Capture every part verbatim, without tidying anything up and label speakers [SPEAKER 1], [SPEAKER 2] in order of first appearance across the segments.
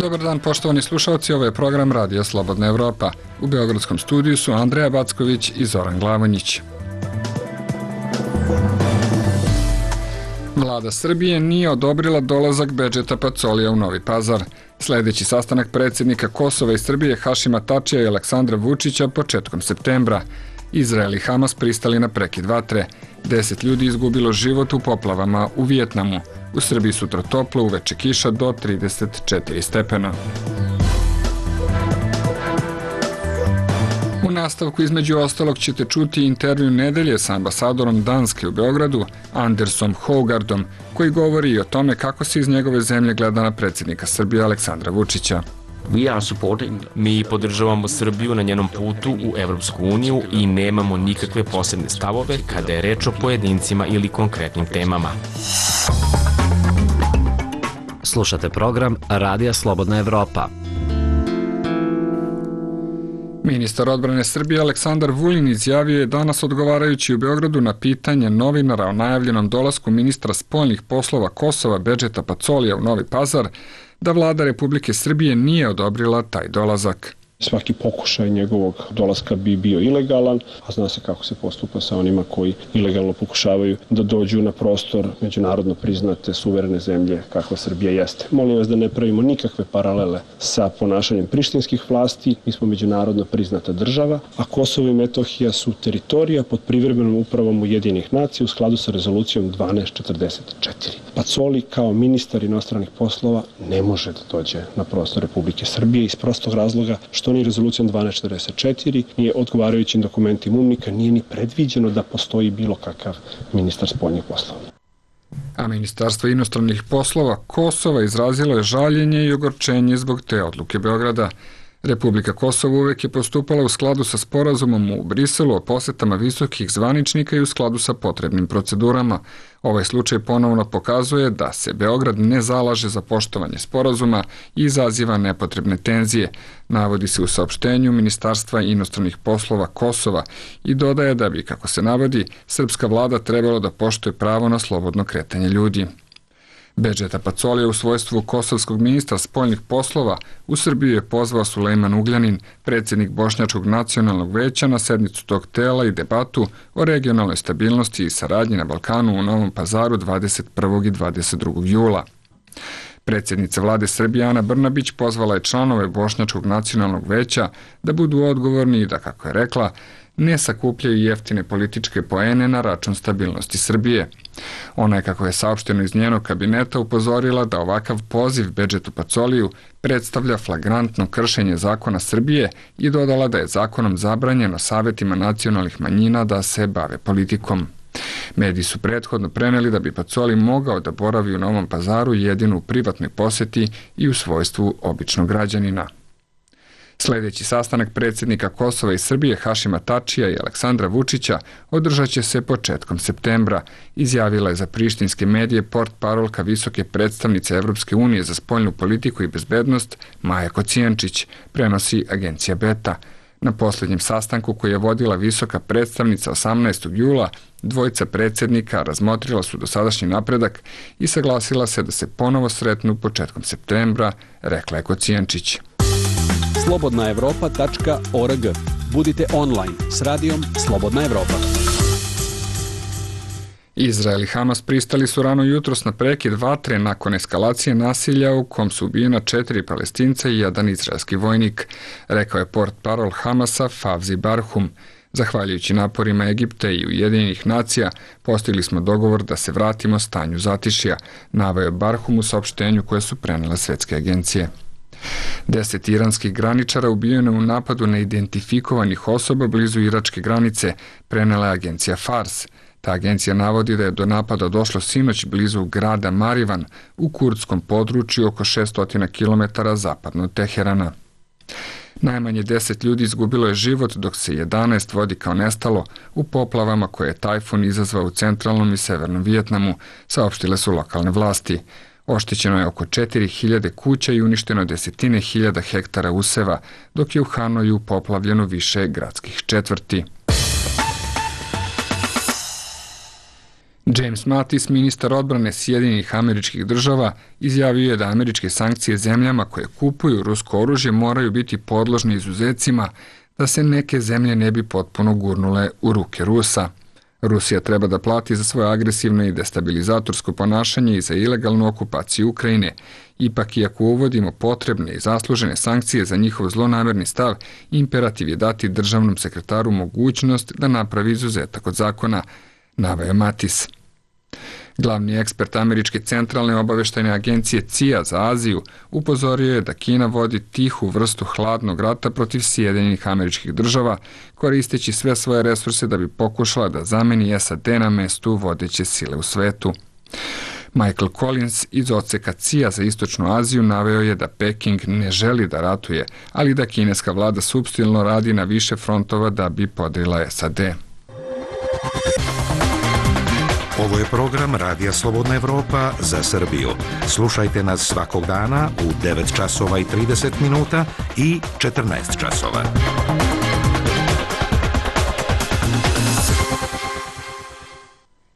[SPEAKER 1] Dobar dan, poštovani slušalci, ovo je program Radija Slobodna Evropa. U beogradskom studiju su Andreja Backović i Zoran Glavonjić. Vlada Srbije nije odobrila dolazak Bedžeta Pacolija u Novi Pazar. Sledeći sastanak predsjednika Kosova i Srbije Hašima Tačija i Aleksandra Vučića početkom septembra. Izrael i Hamas pristali na prekid vatre. Deset ljudi izgubilo život u poplavama u Vijetnamu. U Srbiji sutra toplo, uveče kiša do trideset četiri stepena. U nastavku između ostalog ćete čuti intervju nedelje sa ambasadorom Danske u Beogradu, Andersom Hogardom, koji govori i o tome kako se iz njegove zemlje gleda na predsjednika Srbije Aleksandra Vučića.
[SPEAKER 2] Mi podržavamo Srbiju na njenom putu u Evropsku uniju i nemamo nikakve posebne stavove kada je reč o pojedincima ili konkretnim temama.
[SPEAKER 3] Slušate program Radija Slobodna Evropa.
[SPEAKER 1] Ministar odbrane Srbije Aleksandar Vulin izjavio je danas odgovarajući u Beogradu na pitanje novinara o najavljenom dolasku ministra spoljnih poslova Kosova Bedžeta Pacolija u Novi Pazar da vlada Republike Srbije nije odobrila taj dolazak.
[SPEAKER 4] Svaki pokušaj njegovog dolaska bi bio ilegalan, a zna se kako se postupa sa onima koji ilegalno pokušavaju da dođu na prostor međunarodno priznate suverene zemlje kakva Srbija jeste. Molim vas da ne pravimo nikakve paralele sa ponašanjem prištinskih vlasti. Mi smo međunarodno priznata država, a Kosovo i Metohija su teritorija pod privremenom upravom Ujedinjenih nacija u skladu sa rezolucijom dvanaest četrdeset četiri. Pacoli kao ministar inostranih poslova ne može da dođe na prostor Republike Srbije iz prostog razloga što ni rezolucijom dvanaest četrdeset četiri, nije odgovarajućim dokumentima UNMIK-a, nije ni predviđeno da postoji bilo kakav ministar spoljnih poslova.
[SPEAKER 1] A Ministarstvo inostranih poslova Kosova izrazilo je žaljenje i ogorčenje zbog te odluke Beograda. Republika Kosovo uvek je postupala u skladu sa sporazumom u Briselu o posetama visokih zvaničnika i u skladu sa potrebnim procedurama. Ovaj slučaj ponovno pokazuje da se Beograd ne zalaže za poštovanje sporazuma i izaziva nepotrebne tenzije, navodi se u saopštenju Ministarstva inostranih poslova Kosova i dodaje da bi, kako se navodi, srpska vlada trebalo da poštuje pravo na slobodno kretanje ljudi. Bedžeta Pacolija u svojstvu kosovskog ministra spoljnih poslova u Srbiju je pozvao Sulejman Ugljanin, predsjednik Bošnjačkog nacionalnog veća, na sednicu tog tela i debatu o regionalnoj stabilnosti i saradnji na Balkanu u Novom Pazaru dvadeset prvog i dvadeset drugog jula. Predsjednica vlade Srbije Ana Brnabić pozvala je članove Bošnjačkog nacionalnog veća da budu odgovorni i da, kako je rekla, ne sakupljaju jeftine političke poene na račun stabilnosti Srbije. Ona je, kako je saopšteno iz njenog kabineta, upozorila da ovakav poziv Bedžetu Pacoliju predstavlja flagrantno kršenje zakona Srbije i dodala da je zakonom zabranjeno savetima nacionalnih manjina da se bave politikom. Mediji su prethodno preneli da bi Pacoli mogao da boravi u Novom Pazaru jedino u privatnoj poseti i u svojstvu običnog građanina. Sledeći sastanak predsjednika Kosova i Srbije Hašima Tačija i Aleksandra Vučića održat će se početkom septembra, izjavila je za prištinske medije portparolka visoke predstavnice Evropske unije za spoljnu politiku i bezbednost Maja Kocijančić, prenosi agencija Beta. Na posljednjem sastanku koji je vodila visoka predstavnica osamnaestog jula, dvojica predsjednika razmotrila su dosadašnji napredak i saglasila se da se ponovo sretnu početkom septembra, rekla je Kocijančić.
[SPEAKER 5] slobodna evropa tačka org. Budite online s radijom Slobodna Evropa.
[SPEAKER 1] Izrael i Hamas pristali su rano jutros na prekid vatre nakon eskalacije nasilja u kom su ubijena četiri Palestinca i jedan izraelski vojnik, rekao je portparol Hamasa Favzi Barhum. Zahvaljujući naporima Egipta i Ujedinjenih nacija, postigli smo dogovor da se vratimo stanju zatišja, naveo Barhum u saopštenju koje su prenele svetske agencije. Deset iranskih graničara ubijeno u napadu neidentifikovanih osoba blizu iračke granice, prenela je agencija Fars. Ta agencija navodi da je do napada došlo sinoć blizu grada Marivan u kurdskom području oko šesto kilometara zapadno od Teherana. Najmanje deset ljudi izgubilo je život, dok se jedanaest vodi kao nestalo u poplavama koje je tajfun izazvao u centralnom i severnom Vijetnamu, saopštile su lokalne vlasti. Oštećeno je oko četiri hiljade kuća i uništeno desetine hiljada hektara useva, dok je u Hanoju poplavljeno više gradskih četvrti. James Mattis, ministar odbrane Sjedinjenih Američkih Država, izjavio je da američke sankcije zemljama koje kupuju rusko oružje moraju biti podložne izuzecima da se neke zemlje ne bi potpuno gurnule u ruke Rusa. Rusija treba da plati za svoje agresivno i destabilizatorsko ponašanje i za ilegalnu okupaciju Ukrajine. Ipak, iako uvodimo potrebne i zaslužene sankcije za njihov zlonamerni stav, imperativ je dati državnom sekretaru mogućnost da napravi izuzetak od zakona, naveo Mattis. Glavni ekspert Američke centralne obaveštajne agencije C I A za Aziju upozorio je da Kina vodi tihu vrstu hladnog rata protiv Sjedinjenih Američkih Država, koristeći sve svoje resurse da bi pokušala da zameni S A D na mestu vodeće sile u svetu. Michael Collins iz odseka C I A za Istočnu Aziju naveo je da Peking ne želi da ratuje, ali da kineska vlada supstilno radi na više frontova da bi podrila S A D.
[SPEAKER 6] Ovo je program Radija Slobodna Evropa za Srbiju. Slušajte nas svakog dana u devet časova i trideset minuta i četrnaest časova.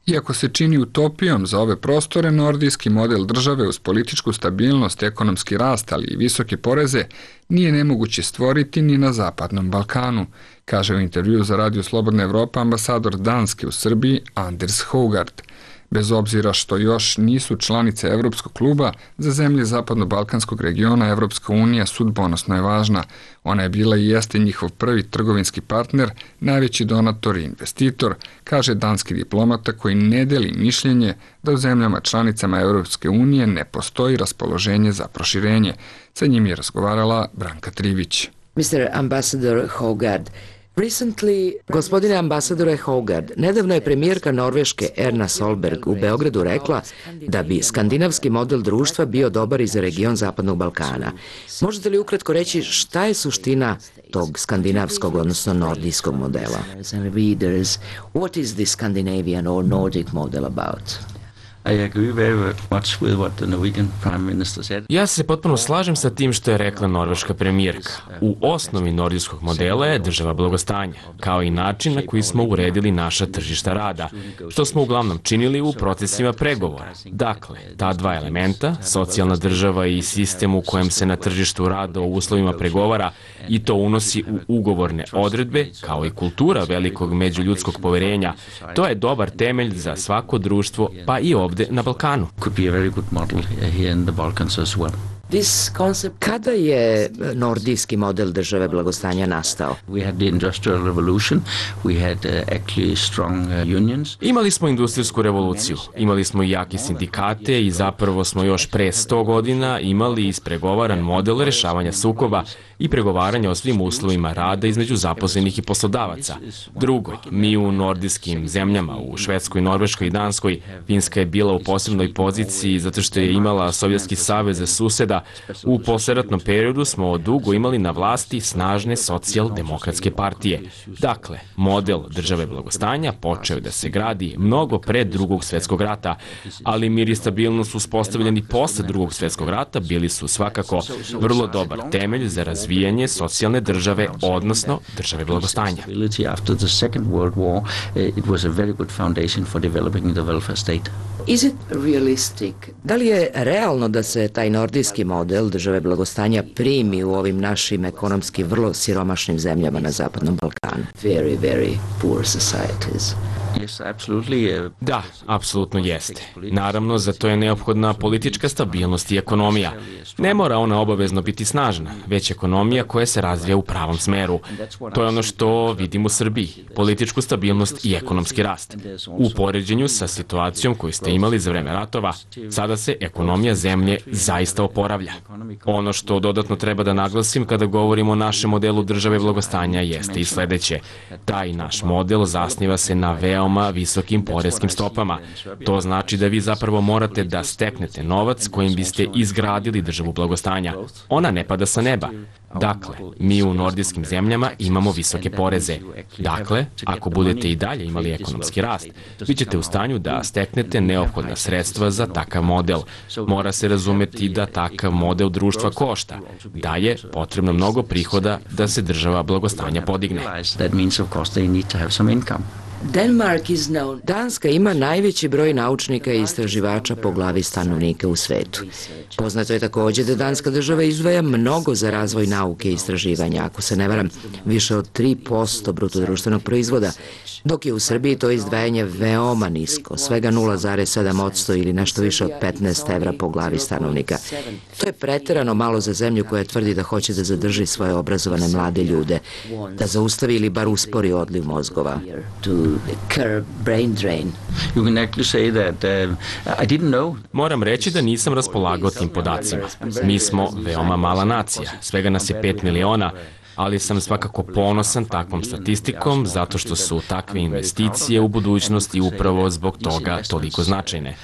[SPEAKER 1] Iako se čini utopijom za ove prostore, nordijski model države uz političku stabilnost, ekonomski rast, ali i visoke poreze, nije nemoguće stvoriti ni na Zapadnom Balkanu, kaže u intervju za Radio Slobodna Evropa ambasador Danske u Srbiji Anders Hogard. Bez obzira što još nisu članice Evropskog kluba, za zemlje Zapadno-Balkanskog regiona Evropska unija sudbonosno je važna. Ona je bila i jeste njihov prvi trgovinski partner, najveći donator i investitor, kaže danski diplomata koji ne deli mišljenje da u zemljama članicama Evropske unije ne postoji raspoloženje za proširenje. Sa njim je razgovarala Branka Trivić.
[SPEAKER 7] mister Ambassador Hogard, Recently, gospodine ambasadore Hogard, nedavno je premijerka Norveške Erna Solberg u Beogradu rekla da bi skandinavski model društva bio dobar i za region Zapadnog Balkana. Možete li ukratko reći šta je suština tog skandinavskog, odnosno nordijskog modela? What is the Scandinavian or Nordic model about?
[SPEAKER 2] Ja se potpuno slažem sa tim što je rekla norveška premijerka. U osnovi nordijskog modela je država blagostanja, kao i način na koji smo uredili naša tržišta rada, što smo uglavnom činili u procesima pregovora. Dakle, ta dva elementa, socijalna država i sistem u kojem se na tržištu rada u uslovima pregovara i to unosi u ugovorne odredbe, kao i kultura velikog međuljudskog poverenja, to je dobar temelj za svako društvo, pa i ovdje na Balkanu.
[SPEAKER 7] Kada je nordijski model države blagostanja nastao?
[SPEAKER 2] Imali smo industrijsku revoluciju, imali smo jake sindikate i zapravo smo još pre sto godina imali ispregovaran model rešavanja sukoba i pregovaranja o svim uslovima rada između zaposlenih i poslodavaca. Drugo, mi u nordijskim zemljama, u Švedskoj, Norveškoj i Danskoj, Finska je bila u posebnoj poziciji zato što je imala Sovjetski savez za suseda. U posleratnom periodu smo dugo imali na vlasti snažne socijaldemokratske partije. Dakle, model države blagostanja počeo da se gradi mnogo pre drugog svetskog rata, ali mir i stabilnost uspostavljeni posle drugog svetskog rata bili su svakako vrlo dobar temelj za razvijanje socijalne države, odnosno države blagostanja.
[SPEAKER 7] Da li je realno da se taj nordijski model države blagostanja primi u ovim našim ekonomski vrlo siromašnim zemljama na Zapadnom Balkanu? Very, very poor societies.
[SPEAKER 2] Da, apsolutno jeste. Naravno, za to je neophodna politička stabilnost i ekonomija. Ne mora ona obavezno biti snažna, već ekonomija koja se razvija u pravom smeru. To je ono što vidimo u Srbiji, političku stabilnost i ekonomski rast. U poređenju sa situacijom koju ste imali za vreme ratova, sada se ekonomija zemlje zaista oporavlja. Ono što dodatno treba da naglasim kada govorimo o našem modelu države blagostanja jeste i sledeće. Taj naš model zasniva se na veoma visokim poreskim stopama. To znači da vi zapravo morate da steknete novac kojim biste izgradili državu blagostanja. Ona ne pada sa neba. Dakle, mi u nordijskim zemljama imamo visoke poreze. Dakle, ako budete i dalje imali ekonomski rast, vi ćete u stanju da steknete neophodna sredstva za takav model. Mora se razumeti da takav model društva košta, da je potrebno mnogo prihoda da se država blagostanja podigne.
[SPEAKER 7] Danska ima najveći broj naučnika i istraživača po glavi stanovnika u svetu. Poznato je takođe da Danska država izdvaja mnogo za razvoj nauke i istraživanja, ako se ne varam, više od tri posto bruto društvenog proizvoda, dok je u Srbiji to izdvajanje veoma nisko, svega nula zarez sedam posto ili nešto više od petnaest evra po glavi stanovnika. To je preterano malo za zemlju koja tvrdi da hoće da zadrži svoje obrazovane mlade ljude, da zaustavi ili bar uspori odliv mozgova.
[SPEAKER 2] Moram reći da nisam raspolagao tim podacima. Mi smo veoma mala nacija, svega nas je pet miliona, ali sam svakako ponosan takvom statistikom zato što su takve investicije u budućnosti upravo zbog toga toliko značajne.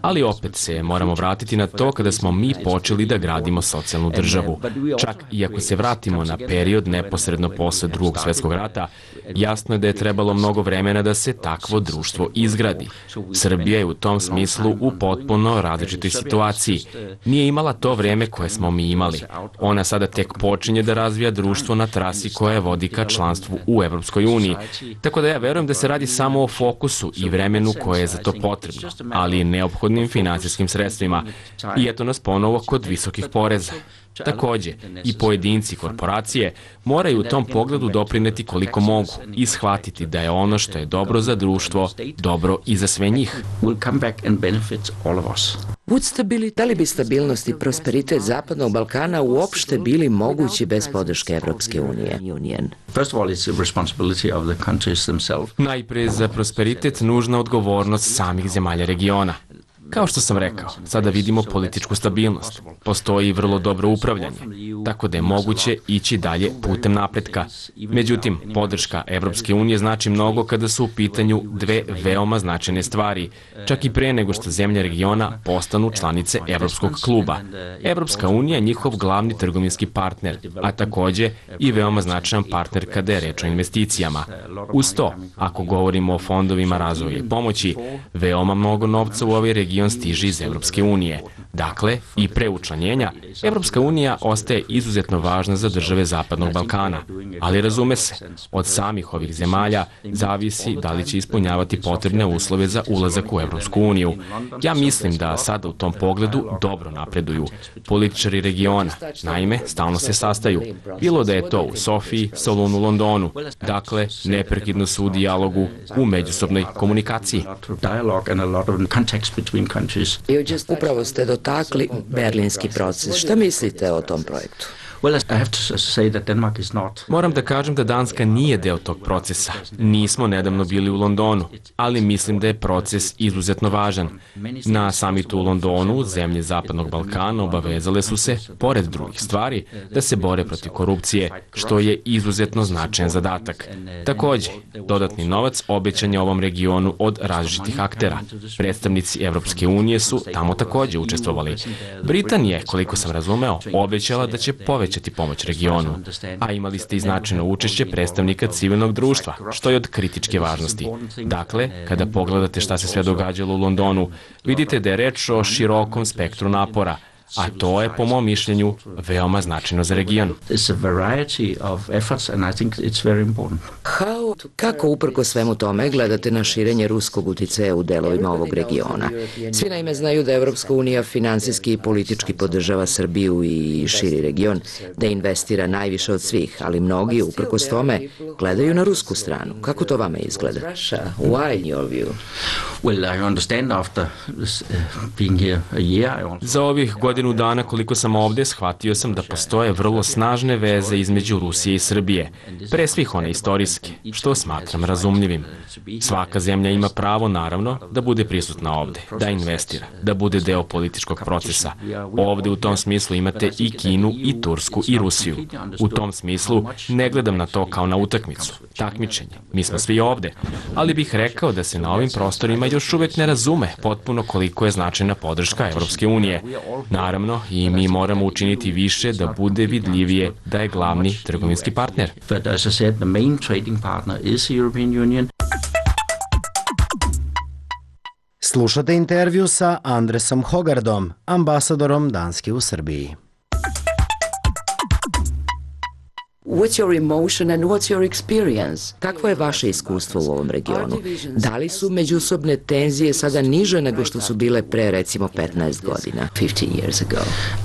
[SPEAKER 2] Ali opet se moramo vratiti na to kada smo mi počeli da gradimo socijalnu državu. Čak i ako se vratimo na period neposredno posle drugog svetskog rata, jasno je da je trebalo mnogo vremena da se takvo društvo izgradi. Srbija je u tom smislu u potpuno različitoj situaciji. Nije imala to vreme koje smo mi imali. Ona sada tek počinje da razvija društvo na trasi koja vodi ka članstvu u Evropskoj uniji. Tako da ja verujem da se radi samo o fokusu i vremenu koje je za to potrebno, ali ne neophodnim finansijskim sredstvima. I eto nas ponovo kod visokih poreza. Takođe, i pojedinci korporacije moraju u tom pogledu doprineti koliko mogu i shvatiti da je ono što je dobro za društvo, dobro i za sve njih.
[SPEAKER 7] Da li bi stabilnost i prosperitet Zapadnog Balkana uopšte bili mogući bez podrške Evropske unije?
[SPEAKER 2] Najpre za prosperitet nužna odgovornost samih zemalja regiona. Kao što sam rekao, sada vidimo političku stabilnost. Postoji vrlo dobro upravljanje, tako da je moguće ići dalje putem napretka. Međutim, podrška Evropske unije znači mnogo kada su u pitanju dve veoma značajne stvari, čak i pre nego što zemlje regiona postanu članice Evropskog kluba. Evropska unija je njihov glavni trgovinski partner, a takođe i veoma značajan partner kada je reč o investicijama. Uz to, ako govorimo o fondovima razvoja i pomoći, veoma mnogo novca u ovaj region stiže iz Evropske unije. Dakle, i pre učlanjenja, Evropska unija ostaje izuzetno važna za države Zapadnog Balkana, ali razume se, od samih ovih zemalja zavisi da li će ispunjavati potrebne uslove za ulazak u Evropsku uniju. Ja mislim da sada u tom pogledu dobro napreduju. Političari regiona, naime, stalno se sastaju. Bilo da je to u Sofiji, Solunu, Londonu. Dakle, neprekidno su u dijalogu, u međusobnoj komunikaciji.
[SPEAKER 7] Upravo ste dotakli berlinski proces. Šta mislite o tom projektu?
[SPEAKER 2] Moram da kažem da Danska nije deo tog procesa. Nismo nedavno bili u Londonu, ali mislim da je proces izuzetno važan. Na samitu u Londonu zemlje Zapadnog Balkana obavezale su se, pored drugih stvari, da se bore protiv korupcije, što je izuzetno značajan zadatak. Takođe, dodatni novac obećan je ovom regionu od različitih aktera. Predstavnici Evropske unije su tamo takođe učestvovali. Britanija je, koliko sam razumeo, obećala da će povećati pomoć regionu, a imali ste i značajno učešće predstavnika civilnog društva, što je od kritičke važnosti. Dakle, kada pogledate šta se sve događalo u Londonu, vidite da je reč o širokom spektru napora, a to je, po mom mišljenju, veoma značajno za region.
[SPEAKER 7] Kako uprko svemu tome gledate na širenje ruskog uticaja u delovima ovog regiona? Svi naime znaju da Evropska unija finansijski i politički podržava Srbiju i širi region, da investira najviše od svih, ali mnogi, uprkos tome, gledaju na rusku stranu. Kako to vama izgleda?
[SPEAKER 2] Za ovih godinu dana koliko sam ovde, shvatio sam da postoje vrlo snažne veze između Rusije i Srbije, pre svih one istorijske, što smatram razumljivim. Svaka zemlja ima pravo, naravno, da bude prisutna ovde, da investira, da bude deo političkog procesa. Ovde u tom smislu imate i Kinu, i Tursku, i Rusiju. U tom smislu ne gledam na to kao na utakmicu, takmičenje. Mi smo svi ovde, ali bih rekao da se na ovim prostorima još uvek ne razume potpuno koliko je značajna podrška Evropske unije. Naravno, i mi moramo učiniti više da bude vidljivije da je glavni trgovinski partner.
[SPEAKER 8] Slušate intervju sa Andresom Hogardom, ambasadorom Danske u Srbiji.
[SPEAKER 7] What's your emotion and what's your experience? Kakvo je vaše iskustvo u ovom regionu? Da li su međusobne tenzije sada niže nego što su bile pre recimo petnaest godina? fifteen years ago.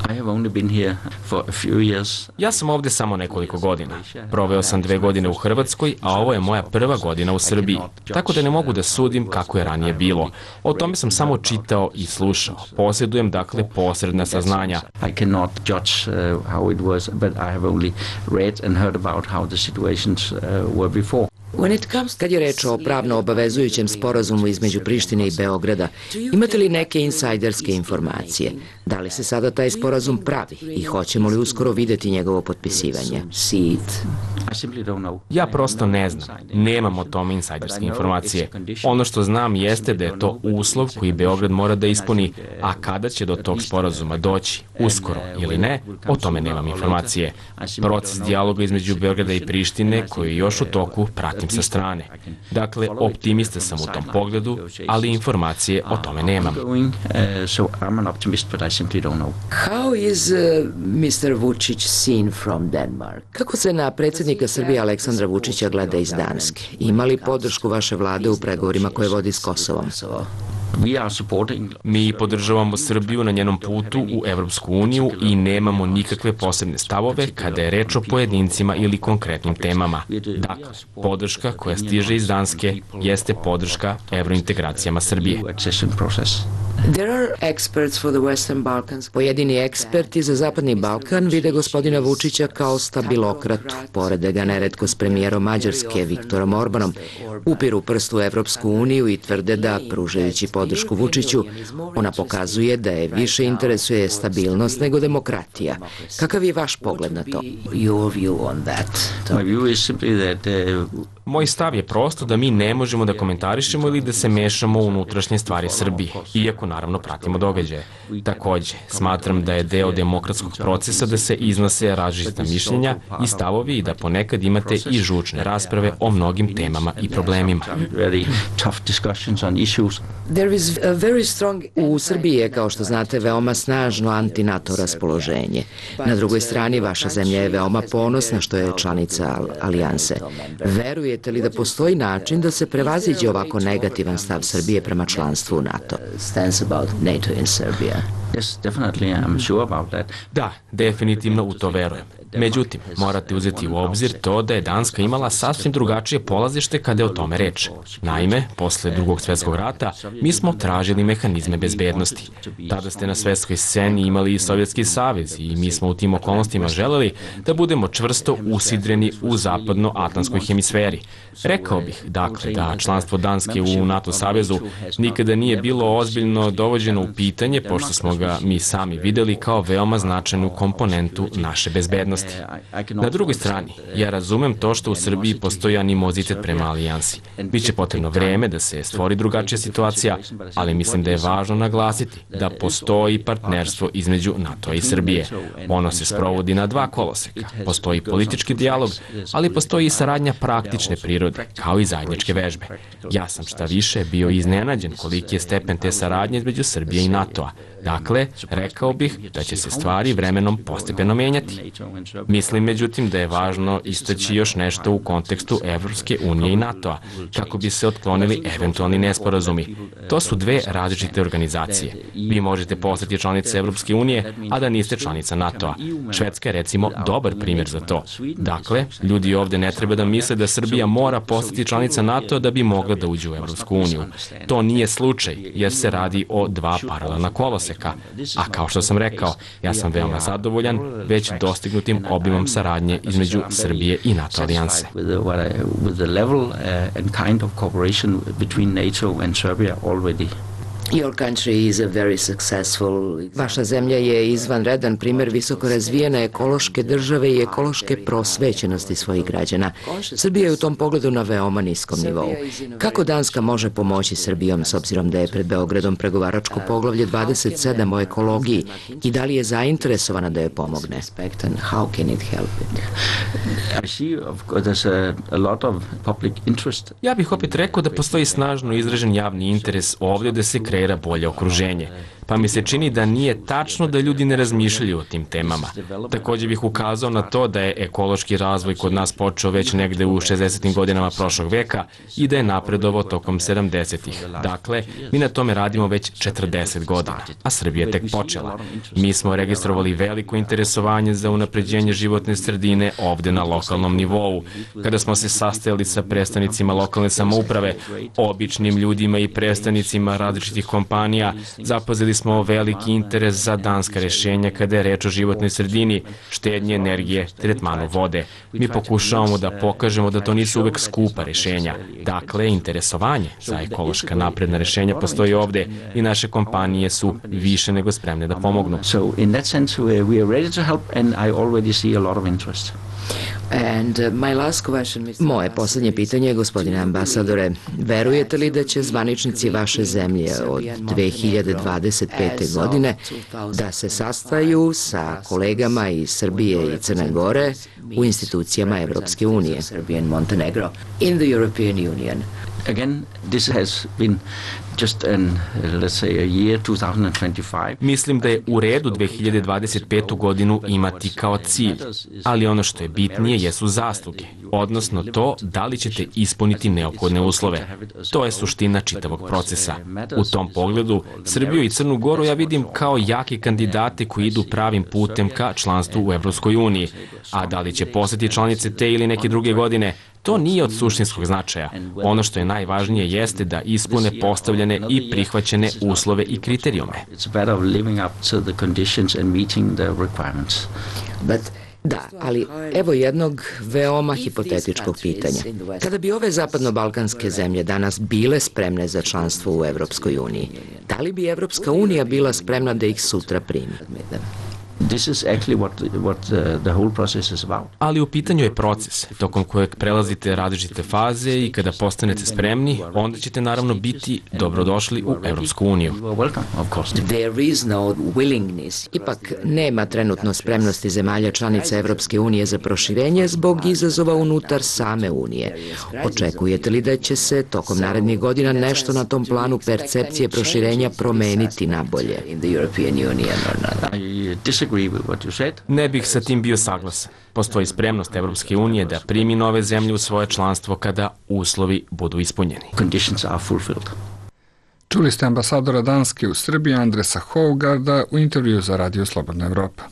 [SPEAKER 9] I have only been here for a few years.
[SPEAKER 2] Ja sam ovde samo nekoliko godina. Proveo sam dve godine u Hrvatskoj, a ovo je moja prva godina u Srbiji. Tako da ne mogu da sudim kako je ranije bilo. O tome sam samo čitao i slušao. Posjedujem dakle posredna saznanja.
[SPEAKER 9] I cannot judge uh, how it was, but I have only read and heard about how the situations uh, were before.
[SPEAKER 7] Kad je reč o pravno obavezujućem sporazumu između Prištine i Beograda, imate li neke insajderske informacije? Da li se sada taj sporazum pravi i hoćemo li uskoro videti njegovo potpisivanje?
[SPEAKER 2] Ja prosto ne znam. Nemam o tome insajderske informacije. Ono što znam jeste da je to uslov koji Beograd mora da ispuni, a kada će do tog sporazuma doći, uskoro ili ne, o tome nemam informacije. Proces dijaloga između Beograda i Prištine, koji je još u toku, pratim sa strane. Dakle, optimista sam u tom pogledu, ali informacije o tome nemam.
[SPEAKER 7] How is uh, mister Vučić seen from Denmark? Kako se na predsjednika Srbije Aleksandra Vučića gleda iz Danske? Ima li podršku vaše vlade u pregovorima koje vodi s Kosovom?
[SPEAKER 2] Mi podržavamo Srbiju na njenom putu u Evropsku uniju i nemamo nikakve posebne stavove kada je reč o pojedincima ili konkretnim temama. Dakle, podrška koja stiže iz Danske jeste podrška evrointegracijama Srbije.
[SPEAKER 7] Pojedini eksperti za Zapadni Balkan vide gospodina Vučića kao stabilokratu, porede ga neretko s premijerom Mađarske Viktorom Orbanom, upiru prstu u Evropsku uniju i tvrde da, pružajući podršku Vučiću, ona pokazuje da je više interesuje stabilnost nego demokratija. Kakav je vaš pogled na to?
[SPEAKER 2] Moj stav je prosto da mi ne možemo da komentarišemo ili da se mešamo u unutrašnje stvari Srbije, iako naravno pratimo događaje. Takođe, smatram da je deo demokratskog procesa da se iznose različita mišljenja i stavovi i da ponekad imate i žučne rasprave o mnogim temama i problemima.
[SPEAKER 7] U Srbiji je, kao što znate, veoma snažno anti-NATO raspoloženje. Na drugoj strani, vaša zemlja je veoma ponosna što je članica alijanse. Verujete li da postoji način da se prevaziđe ovako negativan stav Srbije prema članstvu u NATO?
[SPEAKER 2] Da, definitivno u to verujem. Međutim, morate uzeti u obzir to da je Danska imala sasvim drugačije polazište kada je o tome reč. Naime, posle drugog svjetskog rata, mi smo tražili mehanizme bezbednosti. Tada ste na svetskoj sceni imali i Sovjetski savez i mi smo u tim okolnostima želeli da budemo čvrsto usidreni u zapadno-atlantskoj hemisferi. Rekao bih, dakle, da članstvo Danske u NATO savezu nikada nije bilo ozbiljno dovođeno u pitanje, pošto smo ga mi sami videli kao veoma značajnu komponentu naše bezbednosti. Na drugoj strani, ja razumem to što u Srbiji postoji animozitet prema alijansi. Biće potrebno vreme da se stvori drugačija situacija, ali mislim da je važno naglasiti da postoji partnerstvo između NATO i Srbije. Ono se sprovodi na dva koloseka. Postoji politički dijalog, ali postoji i saradnja praktične prirode, kao i zajedničke vežbe. Ja sam šta više bio iznenađen koliki je stepen te saradnje između Srbije i NATO-a. Dakle, rekao bih da će se stvari vremenom postepeno menjati. Mislim, međutim, da je važno istaći još nešto u kontekstu Evropske unije i NATO-a, kako bi se otklonili eventualni nesporazumi. To su dve različite organizacije. Vi možete postati članica Evropske unije, a da niste članica NATO-a. Švedska je, recimo, dobar primjer za to. Dakle, ljudi ovde ne treba da misle da Srbija mora postati članica NATO-a da bi mogla da uđe u Evropsku uniju. To nije slučaj, jer se radi o dva paralelna koloseka. A kao što sam rekao, ja sam veoma zadovoljan već dostignutim obimom saradnje između Srbije i NATO alijanse.
[SPEAKER 7] Vaša zemlja je izvanredan primjer visoko razvijene ekološke države i ekološke prosvećenosti svojih građana. Srbija je u tom pogledu na veoma niskom nivou. Kako Danska može pomoći Srbijom s obzirom da je pred Beogradom pregovaračko poglavlje dvadeset sedam o ekologiji i da li je zainteresovana da joj pomogne?
[SPEAKER 2] Ja bih opet rekao da postoji snažno izražen javni interes ovdje da se kreira bolje okruženje. pa mi se čini da nije tačno da ljudi ne razmišljaju o tim temama. Također bih ukazao na to da je ekološki razvoj kod nas počeo već negde u šezdesetim godinama prošlog veka i da je napredovao tokom sedamdesetih. Dakle, mi na tome radimo već četrdeset godina, a Srbija je tek počela. Mi smo registrovali veliko interesovanje za unapređenje životne sredine ovde na lokalnom nivou. Kada smo se sastajali sa predstavnicima lokalne samouprave, običnim ljudima i predstavnicima različitih kompanija, zapazili smo veliki interes za danska rešenja kada je reč o životnoj sredini, štednje energije, tretmanu vode. Mi pokušavamo da pokažemo da to nisu uvek skupa rešenja. Dakle, interesovanje za ekološka napredna rešenja postoji ovde i naše kompanije su više nego spremne da pomognu.
[SPEAKER 9] So in that sense we are ready to help and I already see a lot of interest.
[SPEAKER 7] And my last question, moje poslednje pitanje, gospodine ambasadore, verujete li da će zvaničnici vaše zemlje od dve hiljade dvadeset pete. godine da se sastaju sa kolegama iz Srbije i Crne Gore u institucijama Evropske unije? In the European Union.
[SPEAKER 9] Again, this has been just an, let's say, a year, two thousand twenty-five.
[SPEAKER 2] Mislim da je u redu dve hiljade dvadeset petu. godinu imati kao cilj, ali ono što je bitnije jesu zasluge, odnosno to da li ćete ispuniti neophodne uslove. To je suština čitavog procesa. U tom pogledu, Srbiju i Crnu Goru ja vidim kao jake kandidate koji idu pravim putem ka članstvu u Evropskoj uniji, a da li će postati članice te ili neke druge godine, to nije od suštinskog značaja. Ono što je najvažnije jeste da ispune postavljene i prihvaćene uslove i kriterijume.
[SPEAKER 7] Da, ali evo jednog veoma hipotetičkog pitanja. Kada bi ove zapadno-balkanske zemlje danas bile spremne za članstvo u Evropskoj uniji, da li bi Evropska unija bila spremna da ih sutra primi?
[SPEAKER 9] This is actually what, what the, the whole process is about.
[SPEAKER 2] Ali u pitanju je proces, tokom kojeg prelazite različite faze i kada postanete spremni, onda ćete naravno biti dobrodošli u Evropsku uniju.
[SPEAKER 7] There is no willingness. Ipak nema trenutno spremnosti zemalja članica Evropske unije za proširenje zbog izazova unutar same unije. Očekujete li da će se tokom narednih godina nešto na tom planu percepcije proširenja promeniti na bolje?
[SPEAKER 2] Ne bih sa tim bio saglasan. Postoji spremnost Evropske unije da primi nove zemlje u svoje članstvo kada uslovi budu ispunjeni.
[SPEAKER 1] Čuli ste ambasadora Danske u Srbiji Andresa Hougarda u intervju za Radio Slobodna Evropa.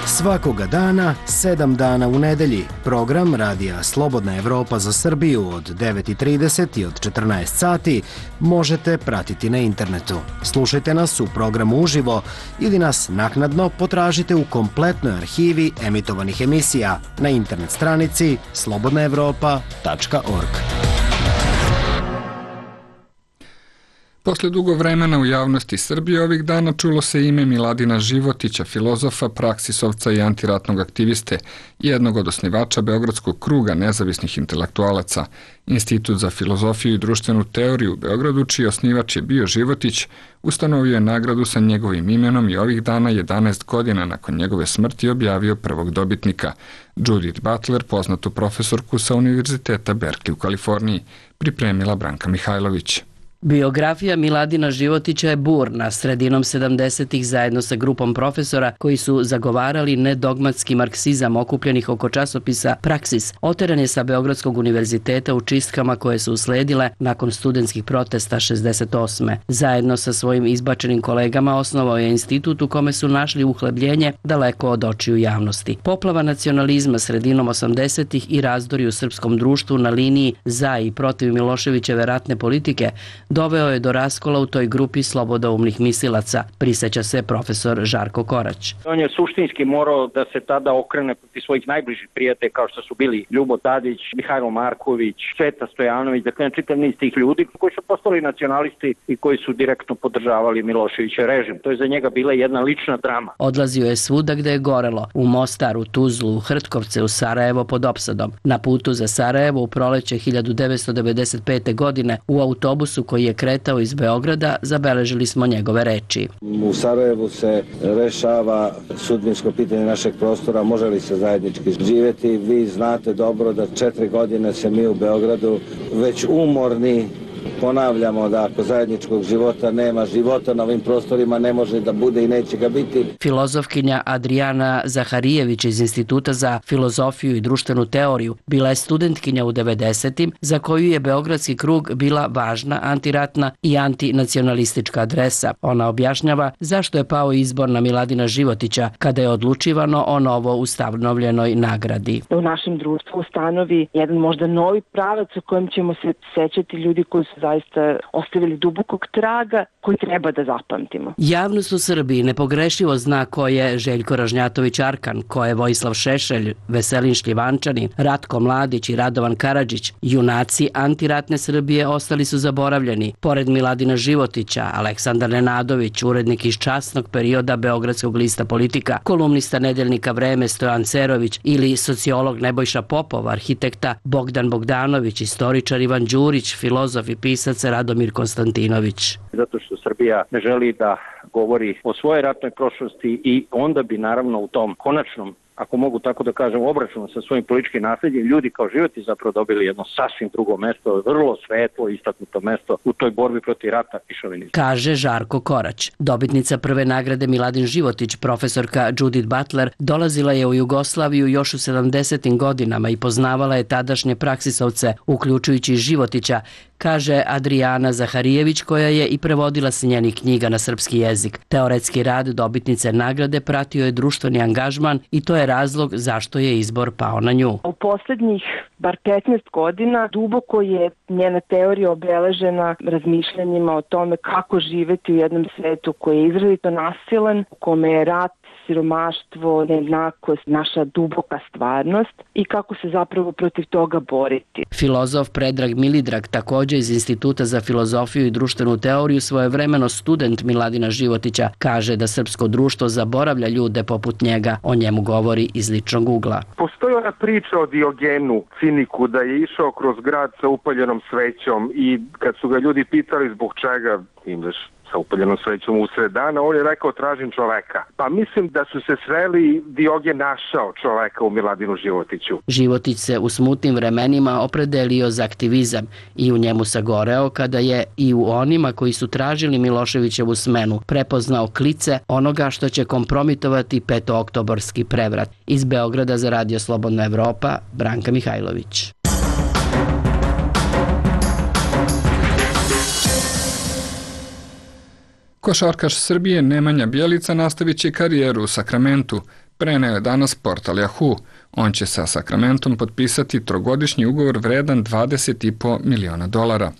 [SPEAKER 8] Svakoga dana, sedam dana u nedelji, program Radija Slobodna Evropa za Srbiju od devet i trideset i od četrnaest sati možete pratiti na internetu. Slušajte nas u programu uživo ili nas naknadno potražite u kompletnoj arhivi emitovanih emisija na internet stranici slobodna evropa tačka org.
[SPEAKER 1] Posle dugo vremena u javnosti Srbije ovih dana čulo se ime Miladina Životića, filozofa, praksisovca i antiratnog aktiviste, jednog od osnivača Beogradskog kruga nezavisnih intelektualaca. Institut za filozofiju i društvenu teoriju u Beogradu, čiji osnivač je bio Životić, ustanovio je nagradu sa njegovim imenom i ovih dana, jedanaest godina nakon njegove smrti, objavio prvog dobitnika, Judith Butler, poznatu profesorku sa Univerziteta Berkeley u Kaliforniji, pripremila Branka Mihajlović.
[SPEAKER 10] Biografija Miladina Životića je burna. Sredinom sedamdesetih zajedno sa grupom profesora koji su zagovarali nedogmatski marksizam okupljenih oko časopisa Praksis, oteran je sa Beogradskog univerziteta u čistkama koje su usledile nakon studentskih protesta šezdeset osme. Zajedno sa svojim izbačenim kolegama osnovao je institut u kome su našli uhlebljenje daleko od očiju javnosti. Poplava nacionalizma sredinom osamdesetih i razdori u srpskom društvu na liniji za i protiv Miloševićeve ratne politike doveo je do raskola u toj grupi slobodoumnih mislilaca, priseća se profesor Žarko Korać.
[SPEAKER 11] On je suštinski morao da se tada okrene protiv svojih najbližih prijatelja kao što su bili Ljubo Tadić, Mihajlo Marković, Sveta Stojanović, dakle čitav niz tih ljudi koji su postali nacionalisti i koji su direktno podržavali Miloševićev režim. To je za njega bila jedna lična drama.
[SPEAKER 10] Odlazio je svuda gde je gorelo, u Mostar, u Tuzlu, u Hrtkovce, u Sarajevo pod opsadom. Na putu za Sarajevo u proleće hiljadu devetsto devedeset pete. godine u autobusu koji je kretao iz Beograda, zabeležili smo njegove reči.
[SPEAKER 12] U Sarajevu se rešava sudbinsko pitanje našeg prostora, može li se zajednički živjeti. Vi znate dobro da četiri godine se mi u Beogradu već umorni ponavljamo da ako zajedničkog života nema, života na ovim prostorima ne može da bude i neće ga biti.
[SPEAKER 10] Filozofkinja Adriana Zaharijević iz Instituta za filozofiju i društvenu teoriju bila je studentkinja u devedesetim za koju je Beogradski krug bila važna antiratna i antinacionalistička adresa. Ona objašnjava zašto je pao izbor na Miladina Životića kada je odlučivano o novo ustanovljenoj nagradi.
[SPEAKER 13] U našem društvu ustanovi jedan možda novi pravac u kojem ćemo se sećati ljudi koji su zaista ostavili dubokog traga koji treba da zapamtimo.
[SPEAKER 10] Javnost u Srbiji nepogrešivo zna ko je Željko Ražnjatović Arkan, ko je Vojislav Šešelj, Veselin Šljivančanin, Ratko Mladić i Radovan Karadžić. Junaci antiratne Srbije ostali su zaboravljeni. Pored Miladina Životića, Aleksandar Nenadović, urednik iz časnog perioda Beogradskog lista Politika, kolumnista nedeljnika Vreme Stojan Cerović ili sociolog Nebojša Popov, arhitekta Bogdan Bogdanović, istoričar Ivan Đurić, filozof i pisac Radomir Konstantinović.
[SPEAKER 11] Zato što Srbija ne želi da govori o svojoj ratnoj prošlosti i onda bi naravno u tom konačnom, ako mogu tako da kažem, obračunu sa svojim političkim nasljedjem, ljudi kao Životi zapravo dobili jedno sasvim drugo mesto, vrlo svetlo, istaknuto mesto u toj borbi protiv rata i šovinizma.
[SPEAKER 10] Kaže Žarko Korać. Dobitnica prve nagrade Miladin Životić, profesorka Judith Butler, dolazila je u Jugoslaviju još u sedamdesetim godinama i poznavala je tadašnje praksisovce, uključujući Životića, kaže Adriana Zaharijević, koja je i prevodila s njenih knjiga na srpski jezik. Teoretski rad dobitnice nagrade pratio je društveni angažman i to je razlog zašto je izbor pao na nju.
[SPEAKER 13] U poslednjih bar petnaest godina duboko je njena teorija obeležena razmišljanjima o tome kako živeti u jednom svetu koji je izrazito nasilan, u kome je rat, siromaštvo, nejednakost, naša duboka stvarnost i kako se zapravo protiv toga boriti.
[SPEAKER 10] Filozof Predrag Milidrag, također iz Instituta za filozofiju i društvenu teoriju, svojevremeno student Miladina Životića, kaže da srpsko društvo zaboravlja ljude poput njega. O njemu govori iz ličnog ugla.
[SPEAKER 14] Postoji ona priča o Diogenu, ciniku, da je išao kroz grad sa upaljenom svećom i kad su ga ljudi pitali zbog čega ideš sa upaljenom svećom usred dana, on je rekao tražim čoveka. Pa mislim da su se sreli, Diogen našao čoveka u Miladinu Životiću.
[SPEAKER 10] Životić se u smutnim vremenima opredelio za aktivizam i u njemu sagoreo kada je i u onima koji su tražili Miloševićevu smenu prepoznao klice onoga što će kompromitovati petooktobarski prevrat. Iz Beograda za Radio Slobodna Evropa, Branka Mihajlović.
[SPEAKER 1] Košarkaš Srbije Nemanja Bjelica nastavit će karijeru u Sakramentu, preneo je danas portal Yahoo. On će sa Sakramentom potpisati trogodišnji ugovor vredan dvadeset i po miliona dolara.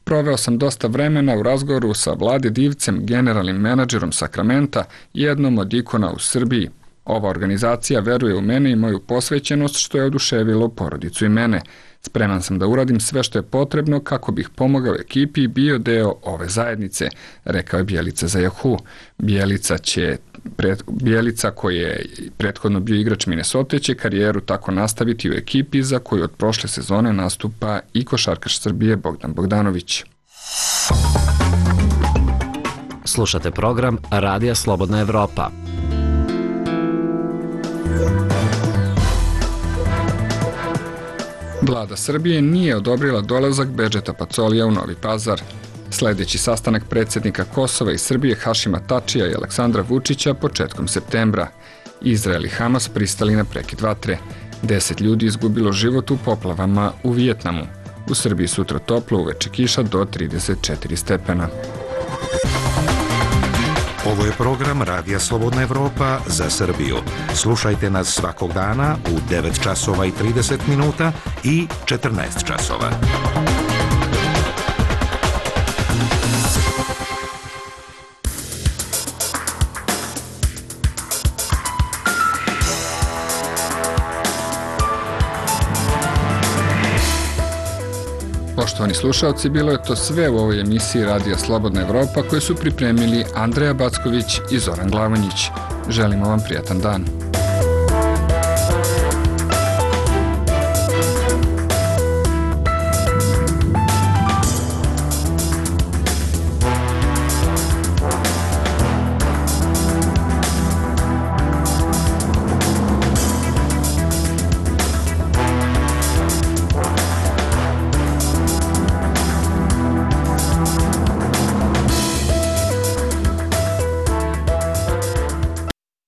[SPEAKER 1] Proveo sam dosta vremena u razgovoru sa Vlade Divcem, generalnim menadžerom Sakramenta, jednom od ikona u Srbiji. Ova organizacija veruje u mene i moju posvećenost, što je oduševilo porodicu i mene. Spreman sam da uradim sve što je potrebno kako bih pomogao ekipi i bio deo ove zajednice, rekao je Bjelica za Yahoo. Bjelica, će, pred, Bjelica koji je prethodno bio igrač Minnesota, će karijeru tako nastaviti u ekipi za koju od prošle sezone nastupa i košarkaš Srbije Bogdan Bogdanović.
[SPEAKER 3] Slušate program Radija Slobodna Evropa.
[SPEAKER 1] Vlada Srbije nije odobrila dolazak Bedžeta Pacolija u Novi Pazar. Sljedeći sastanak predsjednika Kosova i Srbije Hašima Tačija i Aleksandra Vučića početkom septembra. Izrael i Hamas pristali na prekid vatre. Deset ljudi izgubilo život u poplavama u Vijetnamu. U Srbiji sutra toplo, uveče kiša do trideset četiri stepena.
[SPEAKER 6] Ovo je program Radija Slobodna Evropa za Srbiju. Slušajte nas svakog dana u devet časova i trideset minuta i četrnaest časova.
[SPEAKER 1] Poštovani slušalci, bilo je to sve u ovoj emisiji Radija Slobodna Evropa koju su pripremili Andreja Backović i Zoran Glavonjić. Želimo vam prijatan dan.